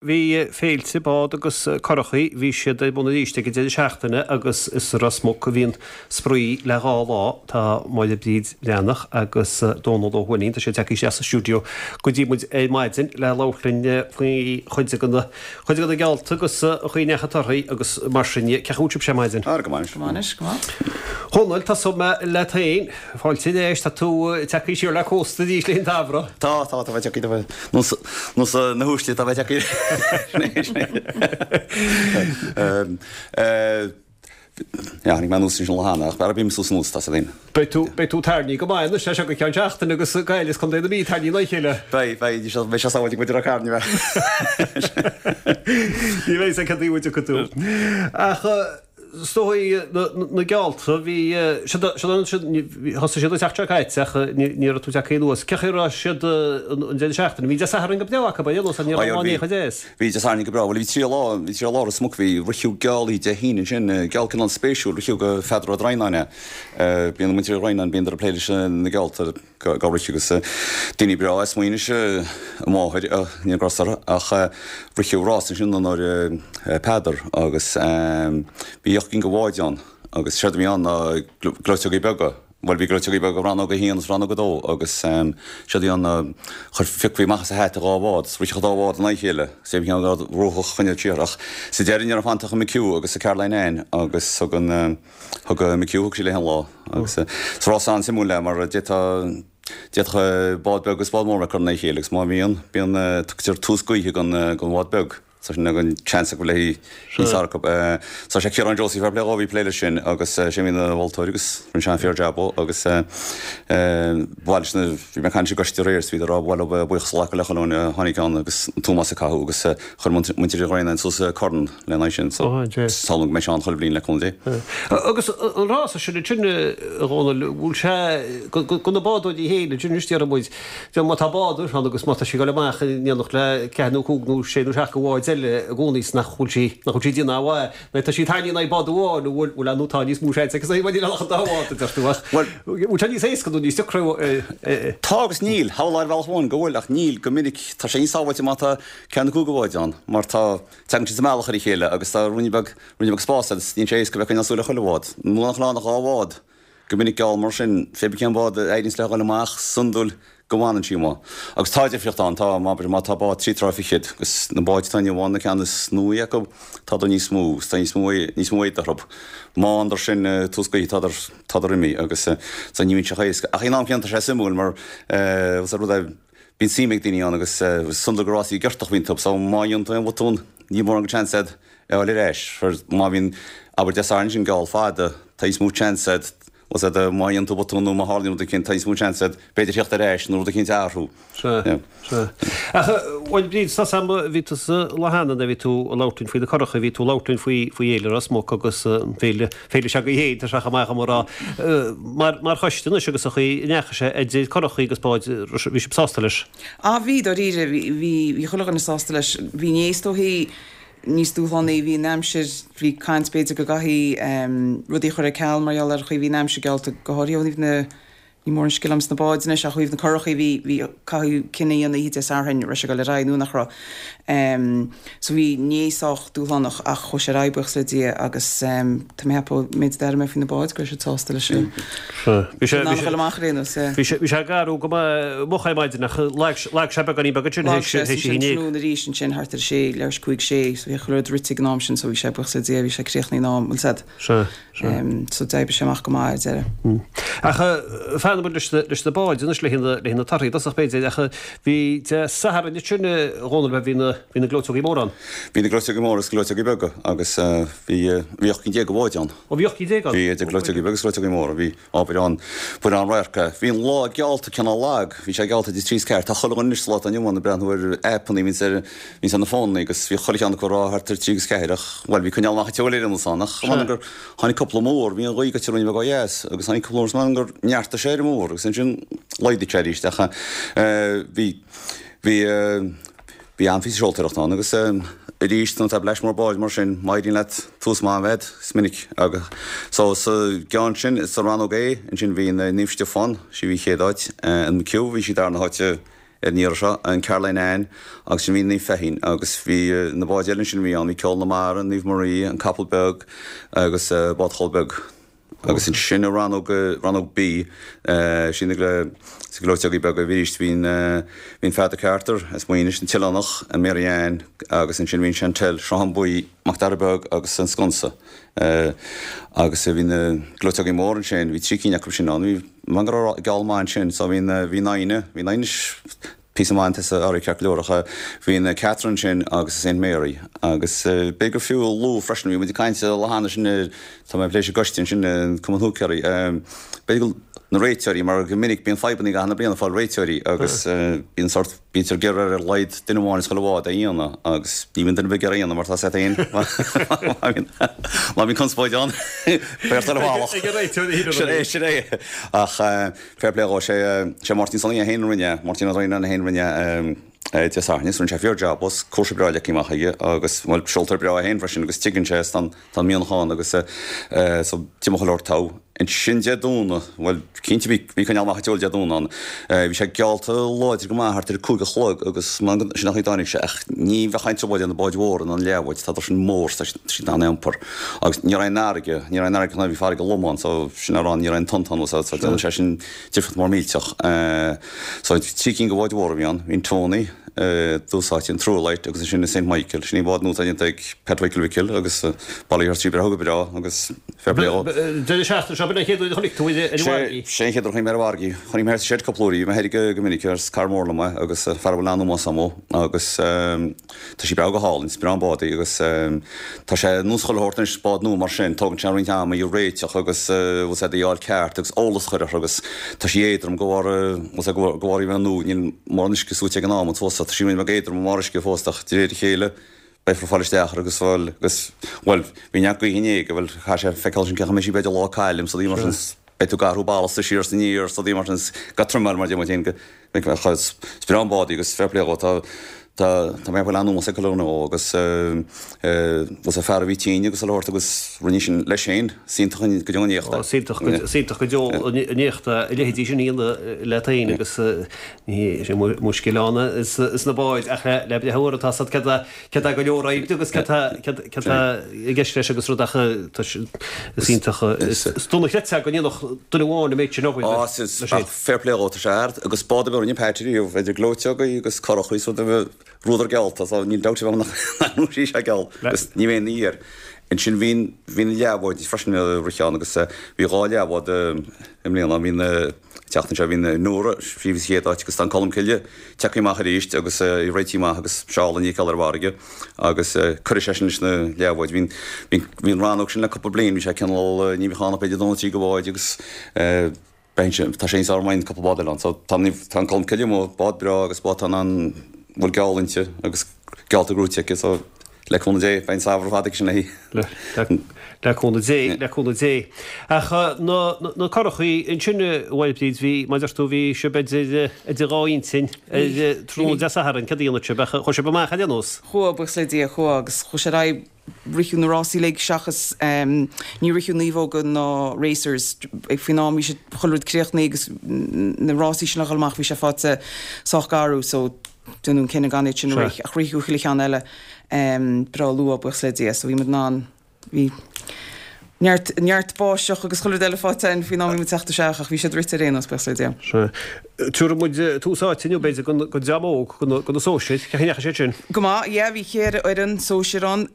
Bhí féilte bád agus curachaí, bhí siad ar bun arís ag an deireadh seachtaine agus is i Ros Muc a bhí an spraoi le dhá lá. Tá Máire Bríd Bhreathnach agus Dónal Ó hUaithnín, tá siad tagtha isteach sa stiúideo go dtí muid ar maidin le labhairt linn faoi chuid de na chuid de na geallta agus an chaoi a ndeachaigh torthaí agus mar sin de. Cén chaoi a bhfuil sibhse ar maidin? Go maith anois. Go maith anois, go maith. Dhónaill, tosóidh mé leat féin. Fáilte ar ais, tá tú tagtha siar le cósta arís le an tsamhradh. Tá, tá, tá mé tagtha, tá mé, nós, nós na huaisle, tá mé tagtha Yeah, tháinig mé anuas ansin lá cheana, ach b'fhearr bím suas anuas, tá 's againn. Beidh tú, beidh tú tarraingthe go maith anois as seo go ceann seachtaine agus Gaillimh is Contae na Mí tarraingthe in aghaidh a chéile. Beidh, beidh, ní beidh sé sábháilte go dtí Ráth Cairn, ní bheidh. Ní bheidh 's ag cad taobh a dtiocfaidh tú. Ach. Is dóigh na geallta, bhí, thosaigh siad an tseachtain seo caite ach ní raibh tú tagtha anuas. Cén chaoi a raibh siad an deireadh seachtaine? Bhí Dé Sathairn go breá acu, ar aon nós, ní raibh lá ní chomh deas. Bhí Dé Sathairn go breá. Bhuel, bhí trí lá, bhí trí lá Ros Muc, bhí ritheadh gealaí Dé hAoine ansin, geall cineál spéisiúil, ritheadh go Pheadar Ó Droighneáin é. Bíonn muintir Uí Dhroighneáin, bíonn ag plé leis na geallta. Go rith agus daoine breá as Maínis a máthair, níl gras orthu, ach ritheadh rás ansin in onóir Peadar agus bhí ocht gcinn de bháid ann agus séard a bhí ann ná gleoiteogaí beaga, bhuel bhí gleoiteogaí beaga rannóg 1 agus rannóg 2 agus séard a bhí ann ná chuir phiocfaí amach as a hata dhá bhád is ritheadh an dá bhád in aghaidh a chéile agus bhí ceann acu ruathach choinneáil siar ach sa deireadh ní raibh fanta ach an McHugh agus an Caroline Anne agus thug an Thug McHugh, thug sí léi an lá agus is rás an-suimiúil é mar d'fhéadfadh, d'fhéadfadh bád beag agus bád mór a bheith curtha in aghaidh a chéile agus má bhíonn, bíonn, tugtar tús gaoithe don, don bhád beag. So sin an seans acu léi níos fearr acu. So sé Ciarán Josie fair play dhó a bhí ag plé leis sin agus sé a bhí ina mholtóir agus rinne sé an-fíor jab dhó agus ba mhaith leis na, bhí mé ag caint leis an gcoiste aréir is bhíodar ag rá ba mhaith leo buíochas a ghlacadh le chuile dhuine a tháinig ann agus an t-ómós a caitheadh agus chuir muintir Uí Dhroighneáin suas corn lena aghaidh sin. So, samhlaím go mbeidh sé ann chuile bhliain le cúnamh Dé. Agus an rása sin ansin, a Dhónaill, bhfuil sé do na bádóirí féin ansin anois, déarfaidh muid, má tá bád ann agus má tá sí ag dul amach in éineacht le ceathair nó cúig nó sé nó seacht de bháid eile i gcónaí is nach bhfuil sí, nach bhfuil sí ag déanamh aon mhaith, nó tá sí tarraingthe in aghaidh bád amháin, nó bhfuil, bhfuil, nó tá níos mó seans aici má níl ann ach an dá bhád, a deir tú, ach bhfuil sé níos éasca nó níos deacra é? Tá agus níl. Shamhlófá ar bhealach amháin go bhfuil ach níl, go minic tá sé níos sábháilte má tá ceathair nó cúig de bháid ann mar tá, Tagann siad sa mbealach ar a chéile agus tá ruainne beag, ruainne beag spáis agus níl sé éasca bheith ag coinneáil súil ar chuile bhád. Nuair nach bhfuil ann ach dhá bhád, go minic geall mar sin, pé bith cén bád a éiríonns léi dhul amach, is iondúil go bhfanann sí amuigh. Agus tá difríocht ann, tá, má, má tá bád trí troigh fichead, agus na báid atá inniu ann, na ceann is nuaí acu, tádar níos mó, agus tá níos mó, níos mó éadaigh orthu. Má fhanadar sin tús gaoithe, tádar, tádar imithe agus so ní bhíonn sé chomh héasca. Ach ag an am céanna tá sé suimiúil mar, eh, rud é, Bíonn suim ag daoine ann agus is iondúil gur rásaí giortach a bhíonn iontu so má dhéanann tú aon bhotún níl mórán de chance agat é a fháil ar ais. Má bhíonn, abair Dé Sathairn sin geall fada, tá níos mó chance agat, bhfuil 's agat, má dhéanann tú botún nó má tharlaíonn rud eicínt tá níos mó chance agat b'fhéidir theacht ar ais nó rud eicínt a athrú. Sea, sea. Ach bhuel Bríd, tá 's a'm, bhí tusa lá cheana nuair a bhí tú ag labhairt linn faoi na curacha, bhí tú ag labhairt linn faoi faoi Fhéile Ros Muc agus an féile, féile seo agaibh féin, tá sé chomh maith dhom a rá, mar mar choiste anois agus an chaoi a ndeachaigh sé idir curachaí agus báid, bhí sibh sásta leis? Ah bhí, dáiríre, bhí, bhí, bhí chuile dhuine sásta leis. Bhí inné is dóichí níos dúshlánaí, bhí an aimsir, bhí caint b'fhéidir go gcaithfí rudaí a chur ar ceal mar gheall ar an chaoi a bhí an aimsir geallta, go háirithe ó thaobh na, Ní mór an scil agam sna báid anois ach ó thaobh na curachaí bhí, bhí, caitheadh cinneadh a dhéanamh oíche Dé Sathairn raibh sé ag dul ar aghaidh nó nach raibh. So bhí inné sách dúshlánach ach chuaigh sé ar aghaidh buíochas le Dia agus tá mé ag ceapadh ón méid a d'airigh mé faoi na báid go raibh siad sásta leis an Bhí sé, bhí bhí sé, an dul amach ar aon nós, yeah. bhí sé, bhí sé ag athrú go maith moch ar maidin ach lag, lag sé beagáinín beag ansin Lag théis, sé théis ansin a haon déag. tráthnóna arís ansin thart ar a sé, leathuair tar éis cúig sé so bhí chuile rud rite ag an am sin so bhí sé buíochas le Dia bhí sé críochnaithe in am, bhfuil 's a'd. Sea. So d'oibrigh sé amach go maith ar deireadh. Ach fanfaidh muid leis na báid anois le haghaidh na torthaí i dtosach b'fhéidir ach bhí Dé Sathairn ansin a Dhónaill bhí na bhí na gleoiteogaí móra ann. Bhí na gleoiteogaí móra agus gleoiteogaí beaga agus bhí bhí 18 cinn de bháid ann. Ó bhí 18 cinn ann? Bhí idir gleoiteogaí beaga agus gleoiteogaí móra. Bhí obair ann, bhain an-radharc é. Bhí an lá geallta cineál lag, bhí sé geallta idir trí is ceathair. Tá chuile dhuine anois sa lá atá inniu ann ag breathnú ar aipeanna, bhíonns ar bhíonns ar na fónanna agus bhí chuile cheann acu ag rá thart ar trí agus ceathair ach, bhuel, bhí coinneáil amach an tseoil ar aon nós ann ach m'anam gur tháinig cúpla múr, bhí an ghaoth goite ruainne beag ó dheas agus tháinig cúpla múr agus m'anam gur neartaigh sé ar an múr agus ansin laghdaigh sé arís ach bhí, bhí, bhí an-phíosa seoltóireachta ann agus arís nuair atá bleaist mór báid mar sin má éiríonn leat tús maith a bheith agat is minic agus so sa gceann sin sa rannóg A ansin bhí Naomh Stiofán, sí a bhí chéad áit, an McHugh bhí sí darna háit. ar an iarraidh seo, an Caroline Anne agus ansin bhí Naomh Feichín agus bhí na báid eile ansin a bhí ann, bhí Ceol na Mara, Naomh Marie, an Capall Beag agus Bád Chóil Beag. Agus ansin i rannóg, rannóg B, sin na gleoiteogaí beaga arís, bhí an, bhí an Peadar Carter as Maínis, an tOileánach, an Mary Ann agus ansin bhí an Chantelle, Sruthán Buí, Mac Dara Beag agus an Sconsa. Agus bhí na gleoiteogaí móra ansin, bhí 3 cinn acu sin ann, bhí, bhí go raibh geall maith ansin, so bhí an, bhí an Fhoighne, bhí an Fhoighne píosa maith an tusa arís ceart go leor ach bhí an Catherine ansin agus an Saint Mary agus b'fhéidir gur fiú a lua freisin, bhí muid ag caint an lá cheana sin ar, tá mé ag plé leis an gcoiste ansin, an Cumann Húicéirí, b'fhéidir go na réiteoirí mar go minic bíonn fadhbanna i gcaitheamh na bliana fáil réiteoirí agus bíonn sórt, bítear ag iarraidh ar a laghad duine amháin as chuile bhád a dhéanamh agus ní bhíonn duine ar bith ag iarraidh a dhéanamh mar tá a fhios agat féin má bhíonn conspóid ann beidh ort dul i bhfalach. Ag an réiteoir a Sin é, sin é. Ach Fair play dhó, sé sé Máirtín Sonaí é féin a rinne é, Máirtín Ó Droighneáin é féin a rinne é Dé Sathairn is rinne sé fíor jab as, cúrsa breá leagtha amach aige agus, bhuel, seoltóir breá é féin freisin agus tuigeann sé is tá an, tá an mianach ann agus so d'imigh chuile shórt togha. Ansin Dé Domhnaigh, bhuel, cinnte bhí, bhí coinneáil amach an tseoil Dé Domhnaigh ann. Bhí sé geallta láidir go maith thart ar a 5 a chlog agus sin an chaoi a dtáinig sé ach ní bheadh aon trioblóid ar na báid mhóra ná na leathbháid, tá sin mór, tá siad an-iompar. Agus ní raibh aon fharraige, ní raibh aon fharraige ná bhí farraige lom ann so sin le rá ní raibh aon tonnta ann so déanann sé sin difríocht mór millteach. So 3 cinn de bháid mhóra a bhí ann, bhí an Tony, dtús áite, an Truelight agus ansin an Saint Michael. Sin í an bád nua atá déanta ag Pat Mhichíl Mhicil agus bail ó Dhia uirthi, breá go breá agus fair play dhó. Deireadh seachtaine seo, b'in an chéad uair a chonaic tú í ar an mhargaidh? Sé an chéad uair a chonaic mé ar an mhargaidh. Chonaic mé ar sa shed cúpla uair í, bhí mé thoir go minic agus cara mór liom é agus fear a bhfuil an-ómós agam dó agus Tá sí breá go hálainn, is breá an bád í agus tá sé ar nós chuile shórt anois, bád nua mar sin, tógann sé roinnt ama í a réiteach agus bhfuil 's a'd í a fháil ceart agus eolas a chur uirthi agus tá sí éadrom de bharr, bhfuil 's a'd, de bharr í bheith nua, níl mórán uisce suaite ag an am fós so tá sí roinnt bheag éadrom i mbarr uisce fós ach de réir a chéile beifear ag fáil isteach uirthi agus bhuel, agus bhuel, bhí neart gaoithe inné, bhuel, chaithfidh sé feiceáil sin cén chaoi a mbeidh sí b'fhéidir lá cailm is rudaí mar sin, beidh tú ag athrú ballasta siar is aniar is rudaí mar sin, ag trimeáil mar a deir muid féin go. Is breá an bád í agus fair play dhó. Tá tá tá mé ag fáil an-ómós ag chuile dhuine dhó agus bhfuil 's a'd fear a bhí tinn agus chuile shórt agus rinne sin leis féin. Is iontach go deo an éacht é. Is iontach is iontach go deo an éacht é a leithéidí sin a dhéanamh leat féin agus ní hé sin mo scil ann sna báid ach le breith uair atá 's a'd céard é Céard é go leor oibre agus céard tá i gceist leis agus rud ach is iontach is dona chreidfeá go ndéanfadh duine amháin an méid sin obair leis féin. Fair play dhó, tá sé ard agus bád ar bith a rinne Pat riamh, idir gleoiteogaí agus curachaí is rud ar bith, rabhadar geallta so níl dabht ar bith ann nach raibh sé geall agus ní bheidh aon ní air. Ansin bhí bhí na leathbháid freisin ag rith ann agus bhí dhá leathbhád i mbliana, bhí na An tseachtain seo bhí an Nóra, sí a bhí sa chéad áit agus tá an Colmcille tagtha amach arís agus í réitithe amach agus seol an fheiceáil ar an bhfarraige agus cuirfidh sé sin leis na leathbháid. Bhí bhí bhí an rannóg sin le cúpla bliain, bhí sé cineál ní bheadh ann ach b'fhéidir dó nó trí de bháid agus beidh sé tá sé níos fearr má bhíonn cúpla bád eile ann. So tá tá an Colmcille amuigh, bád breá agus bád atá in ann bhfuil geall inti agus geallta gnóite aici so Le cúnamh Dé, beidh an samhradh ar fad aici sin léi. Le cúnamh Dé, le cúnamh Dé. Ach na curachaí ansin, a Mháire Bríd, bhí, mar a deir tú, bhí sibh idir dhá intinn ar tráthnóna Dé Sathairn, céard a dhéanfadh sibh? Ach chuaigh sibh amach ar aon nós? Chuaigh, buíochas le Dia, chuaigh agus chuaigh sé ar aghaidh, ritheadh na rásaí uilig seachas, ní ritheadh naomhóga ná racers, faoin am bhí sé, chuile rud críochnaithe agus na rásaí sin le dhul amach bhí sé faighte sách garbh so, Déanadh an cinneadh gan iad sin a rith, ach ritheadh chuile cheann eile breá luath, buíochas le Dia, so bhí muid in ann, bhí neart, neart báisteach agus chuile rud eile faighte againn faoin am a bhí muid ag teacht isteach ach bhí siad rite ar aon nós, buíochas le Dia. Sea. Tabharfaidh muid tús áite inniu, b'fhéidir, don dream óg, do na sóisir. Cén chaoi a ndeachaigh siad sin? Go maith, yeah, bhí cheithre fhoireann sóisir ann.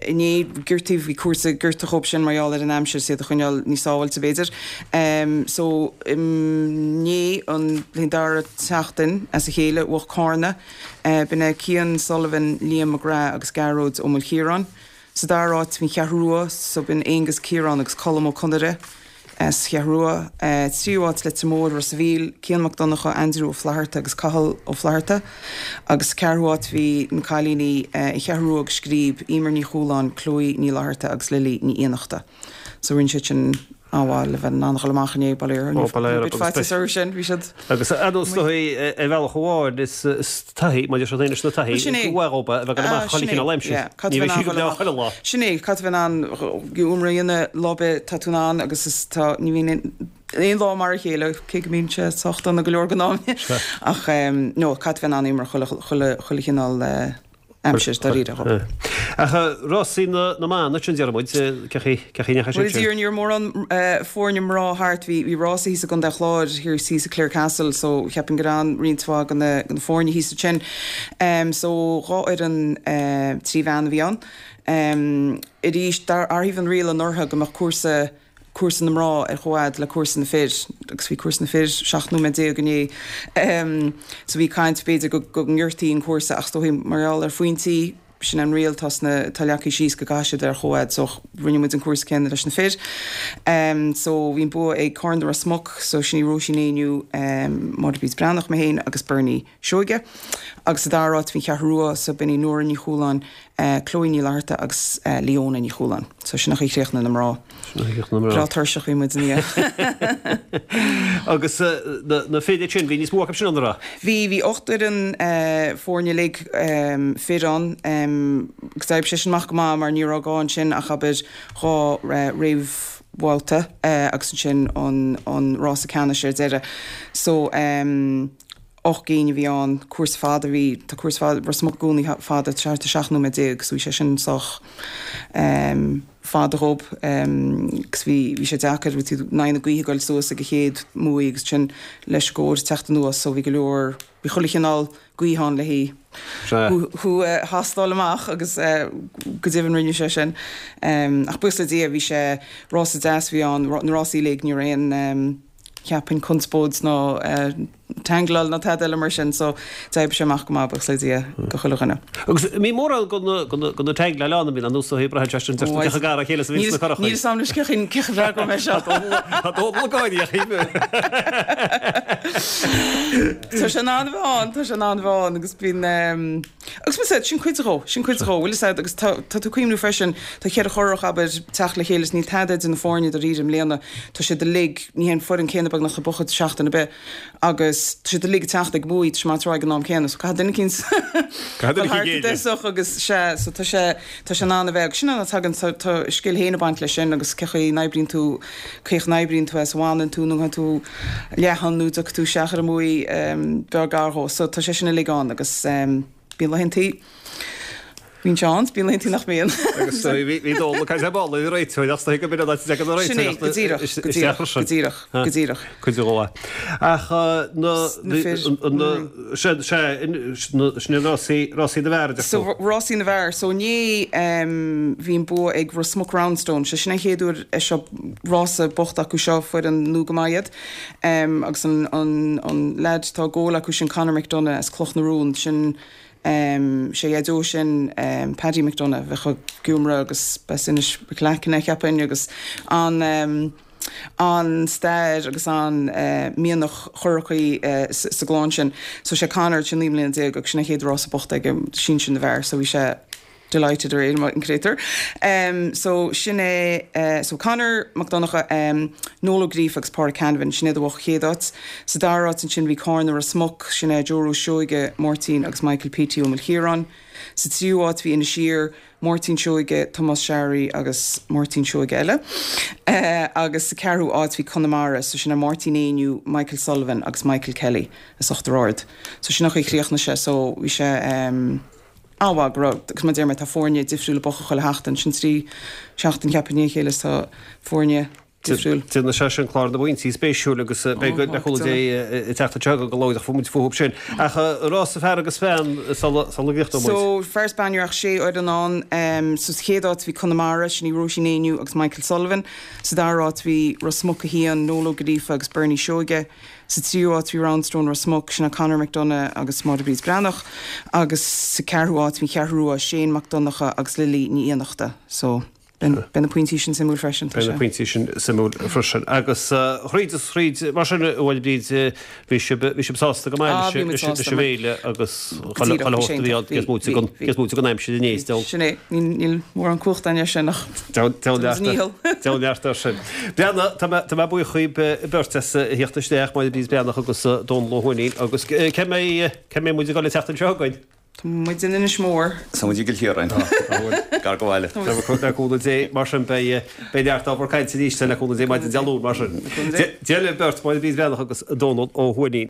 Inné, gortaíodh, bhí cúrsa gorta dhób sin mar gheall ar an aimsir, is iad a choinneáil níos sábháilte, b'fhéidir. So, inné, an dara seachtain as a chéile, bhuaigh Cárna. B'in é Cian Sullivan, Liam McGrath agus Gearóid Ó Maoilchiaráin. Sa dara háit, bhí an Cheathrú Rua, so b'in Aonghus Ciarán agus Colm Ó Conaire. As Cheathrú Rua, tríú háit Leitir Móir, Ros a' Mhíl, Cian Mac Donncha, Aindriú Ó Flatharta agus Cathal Ó Flatharta agus sa ceathrú háit bhí na cailíní An Cheathrú Rua agus Scríb, Emer Ní Chualáin, Chloe Ní Fhlatharta agus Lily Ní Fhiannachta. So rinne siad sin an-mhaith le bheith in ann a dhul amach inné, bail ó Dhia orthu. Bit faitíos orthu sin, bhí siad. Agus ar ndóigh, ar bhealach amháin, is taithí, maidir leis na taithí, Sin é. is mhaith dhób a bheith ag dul amach chuile chineál aimsir. Ní bheidh sí go breá chuile lá. Sin é, caithfidh bheith in ann iomramh a dhéanamh lá ar bith tá tú in ann agus is tá, ní bhíonn aon. Aon lá mar a chéile, cé go mbíonn sé sách dona go leor den am. Ach no, caithfidh bheith in ann imirt chuile, chuile, chuile chineál aimsir, dáiríre. Ach rásaí na mban ansin, déarfaidh muid, cén chaoi, cén chaoi a ndeachaigh siad sin? Bhuel, ní raibh mórán foirne mná thart, bhí, bhí rása thíos i gContae an Chláir, thiar thíos i Clarecastle, so cheapfainn go raibh an-roinnt mhaith de na, de na foirne thíos ansin. So 2 fhoireann, 3 bhean a bhí ann. Arís, d'athraigh an riail anuraidh go mbeadh cúrsa, cúrsa na mná ar chomhfhad le cúrsa na fir agus bhí cúrsa na fir 17 nóiméad inné. So bhí caint b'fhéidir go go ngiorrtaí an cúrsa ach is dóigh mar gheall ar phointí, sin an riail atá sna, atá leagtha síos go gcaithfidh siad ar chomhfhad so rinne muid an cúrsa céanna leis na fir. So bhí an bua ag Carna Ros Muc so sin í Róisín Éinniú, Máire Bríd Breathnach, mé féin agus Bernie Seoige. Agus sa dara háit bhí an Cheathrú Rua so b'in í Nóra Ní Chualáin, Chloe Ní Fhlatharta agus Leona Ní Chualáin. So sin an chaoi a chríochnaigh na mná. Sin an chaoi a chríochnaigh na mná. Breá tuirseach bhí muid ina dhiaidh. Agus na fir ansin, bhí níos mó acu sin ann, an raibh? Bhí, bhí 8 fhoireann foirne uilig fir ann. Agus d'oibrigh sé sin amach go maith mar ní raibh gá ansin ach abair 2 réamhbhabhta agus ansin an rása ceannais ar deireadh. So. 8 gcinn a bhí ann, cúrsa fada a bhí, tá cúrsa fada, Ros Muc i gcónaí fada, thart ar 17 nóiméad so bhí sé sin sách fada dhób agus bhí, bhí sé deacair, bhí tú in aghaidh na gaoithe ag goil suas ag an chéad mbuaidh agus ansin leis an gcóir ag teacht anuas so bhí go leor, bhí chuile chineál gaoth ann le haghaidh thú a thástáil amach agus go deimhin rinne sé sin. Ach buíochas le Dia bhí sé, rása deas a bhí ann, na rásaí uilig, ní raibh aon, cheapfainn, conspóid ná tangláil ná tada eile mar sin so d'oibrigh sé amach go maith, buíochas le Dia, do chuile dhuine. Agus an mbíonn mórán de na tangláil ann, an mbíonn, ar nós a braitheann sé sin, deirtear cé chomh gar dá chéile is a bhíonns na curachaí. Níl 'fhios a'm anois cé chaoi a bhfreagróidh mé seo. Tá Dónal ag gáirí a Chaoimhe. Tá sé in ann a bheith ann, tá sé in ann a bheith ann agus bíonn, Agus bhfuil 'fhios a'd, sin cuid dhó, sin cuid dhó, bhfuil 'fhios a'd, agus tá, tá tú ag cuimhniú freisin, tá cheithre churach, abair, teacht le chéile is níl tada idir na foirne dáiríre i mbliana, tá siad uilig, ní hé an foireann céanna beagnach ag buachan seachtain ar bith agus tá siad uilig ag teacht ag buaidh, tá sé maith ag an am céanna, so caithfidh duine eicínt Caithfidh dul duine thart i eicínt géilleadh. dtosach agus sea, so tá sé, tá sé in ann a bheith, agus sin an, tagann, tá, tá a scil féin ag baint leis sin agus cé chaoi a n-oibríonn tú, cé chaoi a n-oibríonn tú as a bhfanann tú nó an tú leathan nó dtiocfaidh tú isteach ar an mbuaidh beag gar dhó. So tá sé sin uilig ann agus bíonn laethantaí, bíonn sé ann, bíonn laethantaí nach mbíonn. Agus bhí Dónal ag caint ar ball ar réiteoir ach is dóigh go mb'in an áit a dtagann na Sin é, réiteoireachta go díreach, go díreach, isteach go díreach, go díreach. Cuid de dhó. Ach na, Na fir. na, sea, sin rásaí, rásaí na bhfear a deir So tú. rásaí na bhfear. So inné bhí an bua ag Ros Muc Roundstone. Sé sin an chéad uair é seo rása bocht acu seo, foireann nua go maith iad. Agus an, an, an leaid atá ag gabháil acu sin Conor McDonagh as Cloch na Rón, sin sé a dhaideo sin Paddy McDonagh a bheadh i gCiúmra agus b'as Inis Mhic Leacain é cheapfainn agus an, an stair agus an mianach curachaí sa gclann sin. So sé Conor, sé 19 mbliana agus sin a chéad rása bocht aige, sinsir na bhfear, so bhí sé delighted aréir, an créatúr. So sin é, so Conor Mac Donncha, Noel Ó Gríofa agus Pádraig Canavan, sin iad a bhuaigh chéad áit. Sa dara háit ansin bhí Cárna Ros Muc, sin é Joe Rose Seoige, Máirtín agus Michael P.T. Ó Maoilchiaráin. Sa tríú háit bhí Inis Oírr, Máirtín Seoige, Tomás Searraí agus Máirtín Seoige eile. Agus sa ceathrú áit bhí Conamara, so sin é Máirtín Éinniú, Michael Sullivan agus Michael Kelly as Uachtar Ard. So sin an chaoi a chríochnaigh sé, so bhí sé an-mhaith go raibh, agus mar a deir mé tá foirne difriúla ag buachan chuile sheachtain, sin trí sheachtain cheapfainn i ndiaidh a chéile is tá foirne difriúil. Déanfaidh sé sin clár na bpointí spéisiúil agus beidh le cúnamh Dé ag teacht anseo go luath ach muid fúthu sin. Ach rása fear agus bean sula gcríochnóidh muid. So, fear is bean ní raibh ach sé fhoireann ann. So, sa chéad áit bhí Conamara, sin í Róisín Éinniú agus Michael Sullivan. Sa dara háit bhí Ros Muc 1, Noel Ó Gríofa agus Bernie Seoige. Sa tríú háit bhí Roundstone Ros Muc, sin é Conor McDonagh agus Máire Bríd Breathnach. Agus sa ceathrú háit bhí an Cheathrú Rua, Shane Mac Donncha agus Lily Ní Fhiannachta. So. Beidh na pointí sin suimiúil freisin, tá sé. Beidh na pointí sin suimiúil freisin. Agus thríd is thríd, mar sin, a Mháire Bríd, bhí sibh, bhí sibh sásta go maith leis an bhféile agus chuile shórt a bhí ann, cé is móite den, cé is móite den aimsir inné, is dóigh. Sin é, níl mórán cumhachta againn air sin ach Deabhal leat air sin. Breathnaigh, tá mé, tá mé buíoch dhaoibh beirt as a theacht isteach, Máire Bríd Breathnach agus Dónal Ó hUaithnín, agus cé mbeidh, cé mbeidh muid ag dul an tseachtain seo chugainn? Tá muid in Inis Mór. Tá muid i gCill Chiaráin. Gar go bhaile. Le cúnamh Dé, mar sin, beidh neart ábhar cainte arís le cúnamh Dé maidin Dé Luain, mar sin. Dia libh beirt, Máire Bríd Bhreathnach agus Dónal Ó hUaithnín.